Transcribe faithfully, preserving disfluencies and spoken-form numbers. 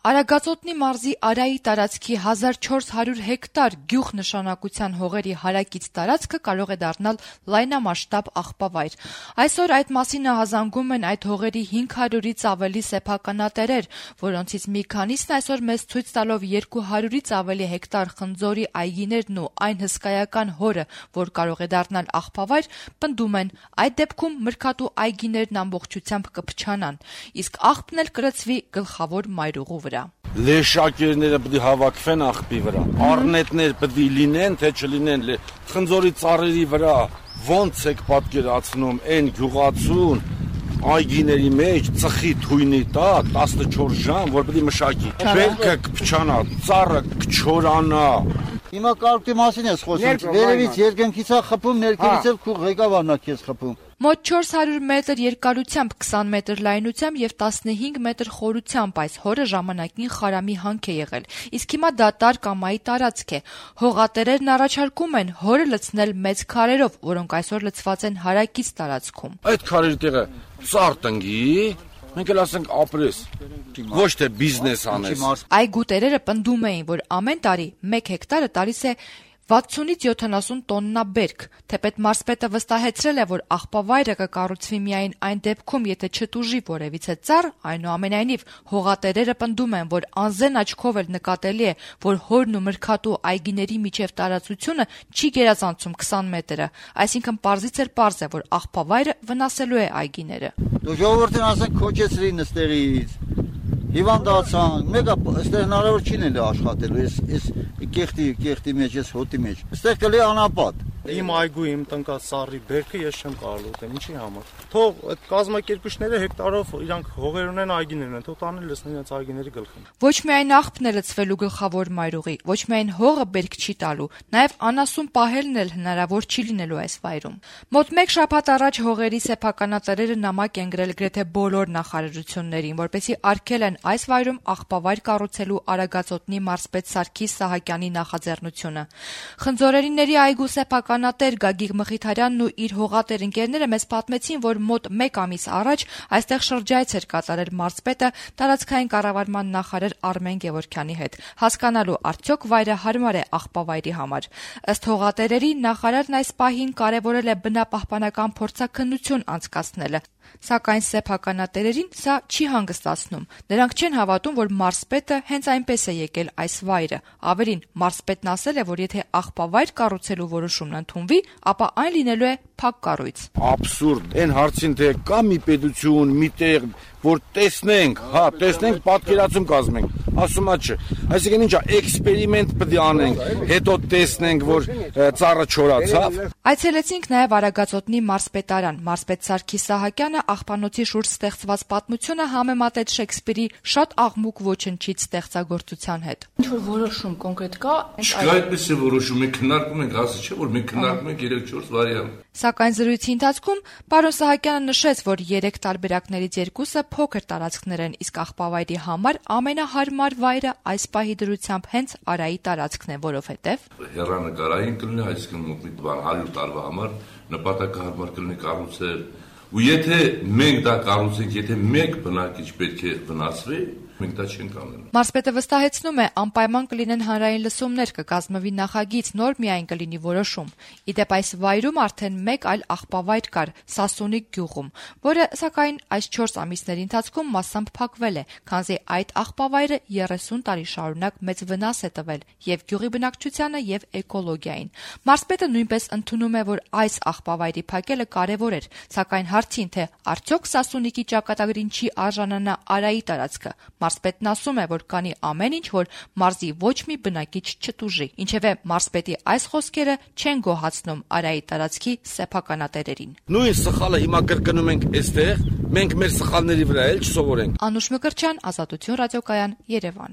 Արագածոտնի մարզի Արայի տարածքի հազար չորս հարյուր հեկտար գյուղ նշանակության հողերի հարակից տարածքը կարող է դառնալ լայնամասշտաբ աղբավայր։ Այսօր այդ մասին ահազանգում են այդ հողերի հինգ հարյուրից ավելի սեփականատերեր, որոնցից մի քանիսն այսօր մեզ ցույց տալով երկու հարյուրից ավելի հեկտար խնձորի այգիներն ու այն հսկայական հորը, որ կարող է դառնալ աղբավայր, պնդում են, այդ դեպքում մրգատու այգիներն ամբողջությամբ կփչանան, իսկ աղբն էլ կլցվի գլխավոր մայրուղու վրա։ Լեշակերները պետք է հավաքվեն աղբի վրա, առնետներ պետք է լինեն, թե չլինեն, խնձորի ծառերի վրա ոնց եք պատկերացնում այն գյուղացուն այգիների մեջ ծխի թույնի տակ տասնչորս ժամ, որ պետք է մշակի, բերքը կփչանա, ծառը կչորանա։ Հիմա կարգի մասին ես խոսում, վերևից երկնքից է խփում, ներքևից էլ քու ղեկավարն է քեզ խփում։ Մոտ չորս հարյուր մետր երկարությամբ, քսան մետր լայնությամբ եւ տասնհինգ մետր խորությամբ այս հորը ժամանակին խարամի հանք է եղել, իսկ հիմա դա տար-կամայի տարածք է։ Հողատերերն առաջարկում են հորը լցնել մեծ քարերով, որոնք այսօր լցված են հարակից տարածքում։ Այդ քարերի տեղը ծառ տնկի, մենք էլ ասենք ապրես, ոչ թե բիզնես անես։ Այգու տերերը պնդում էին, որ ամեն տարի մեկ հեկտարը տալիս է վաթսունից յոթանասուն տոննա բերք, թեպետ մարզպետը վստահեցրել է, որ աղբավայրը կկառուցվի միայն այն դեպքում, եթե չտուժի որևիցե ծառ, այնուամենայնիվ հողատերերը պնդում են, որ անզեն աչքով էլ նկատելի է, որ հորն ու մրգատու այգիների միջև տարածությունը չի գերազանցում քսան մետրը, այսինքն պարզից էլ պարզ է, որ աղբավայրը վնասելու է այգիները։ Դու ժողովրդին ասենք քոչեցրին ստերից, հիվանդացան, մեկը այստեղ հնարավոր չի լինի աշխատելու, այս կեղտի կեղտի մեջ, այս հոտի մեջ։ Այստեղ կլի անապատ։ Իմ այգու, իմ տնկած սառի բերքը ես չեմ կարող ուտեմ, ինչի համար։ Թող այդ կազմակերպիչները հեկտարով իրանք հողեր ունեն, այգիներ ունեն, թող տանեն լցնեն իրենց այգիների գլխին։ Ոչ միայն աղբն է լցվելու գլխավոր մայրուղի, ոչ միայն հողը բերք չի տալու, նաև անասուն պահելն էլ հնարավոր չի լինելու այս վայրում։ Մոտ մեկ շաբաթ առաջ հողերի սեփականատերերը նամակ են գրել գրեթե բոլոր նախարարություններին, որպեսզի արգելեն այս վայրում աղբավայր կառուցելու Արագածոտնի մարզպետ Սարգիս Սահակյանի նախաձեռնությունը։ Խնձորերիների այգու սեփականատեր Գագիկ Մխիթարյանն ու իր հողատեր ընկերները մեզ պատմեցին, որ մոտ մեկ ամիս առաջ այստեղ շրջայց էր կատարել մարզպետը տարածքային կառավարման նախարար Արմեն Գևորգյանի հետ, հասկանալու արդյոք վայրը հարմար է աղբավայրի համար։ Ըստ հողատերերի նախարարն այս պահին կարևորել է բնապահպանական փորձաքննություն անցկացնելը, սակայն սեփականատերերին սա չի հանգստացնում։ Նրանք չեն հավատում, որ մարզպետը հենց այնպես է եկել այս վայրը։ Ավելին, մարզպետն ասել է, որ եթե աղբավայր կառուցելու որոշումն ընդունվի, ապա այն լինելու է փակ կառույց։ Աբսուրդ, այն հարցին թե կա մի պետություն, մի տեղ, որ տեսնենք, հա, տեսնենք, պատկերացում կազմենք, ասում է չէ։ Այսինքն ինչա, էքսպերիմենտ պետք է անենք, հետո տեսնենք, որ ծառը չորացավ։ Այցելեցինք նաև Արագածոտնի մարզպետարան։ Մարզպետ Սարգիս Սահակյանը աղբանոցի շուրջ ստեղծված պատմությունը համեմատեց Շեքսպիրի շատ աղմուկ ոչնչից ստեղծագործության հետ։ Ինչ-որ որոշում կոնկրետ կա։ Չկա այդպես է որոշում, մենք քննարկում ենք, ասի չէ, որ մենք քննարկում ենք երեք չորս վարիանտ։ Սակայն զրույցի ընթացքում պարոն Սահակյանը նշեց, որ երեք տարբերակներից երկուսը փոքր տարածքներ են, իսկ աղբավայրի համար ամենահարմար վայրը այս պահի դրությամբ հենց Արայի տարածքն է, որովհետև հեռանկարային կլինի, այսինքն մի բան հարյուր տարվա համար նպատակահարմար կլինի կառուցել։ Ու եթե մենք դա կառուցենք, եթե մեկ բնակիչ պետք է վնասվի, մենք դա չենք անելու։ Մարզպետը վստահեցնում է, անպայման կլինեն հանրային լսումներ, կկազմվի նախագիծ, նոր միայն կլինի որոշում։ Իդեպ այս վայրում արդեն մեկ այլ աղբավայր կար Սասունիկ գյուղում, որը սակայն այս չորս ամիսների ընթացքում մասամբ փակվել է, քանզի այդ աղբավայրը երեսուն տարի շարունակ մեծ վնաս է տվել եւ գյուղի բնակչությանը եւ էկոլոգիային։ Մարզպետը նույնպես ընդունում է, որ այս աղբավայրի փակելը կարեւոր էր, սակայն հարցին, թե արդյոք Սասունիկի ճակատագրին չի արժանանա Արայի տարածքը, մարզպետն ասում է, որ կանի ամեն ինչ, որ մարզի ոչ մի բնակիչ չտուժի։ Ինչևէ, մարզպետի այս խոսքերը չեն գոհացնում Արայի տարածքի սեփականատերերին։ Նույն սխալը հիմա կրկնում ենք այստեղ, մենք մեր սխալների վրա էլ չսովորենք։ Անուշ Մկրտչյան, Ազատություն ռադիոկայան, Երևան։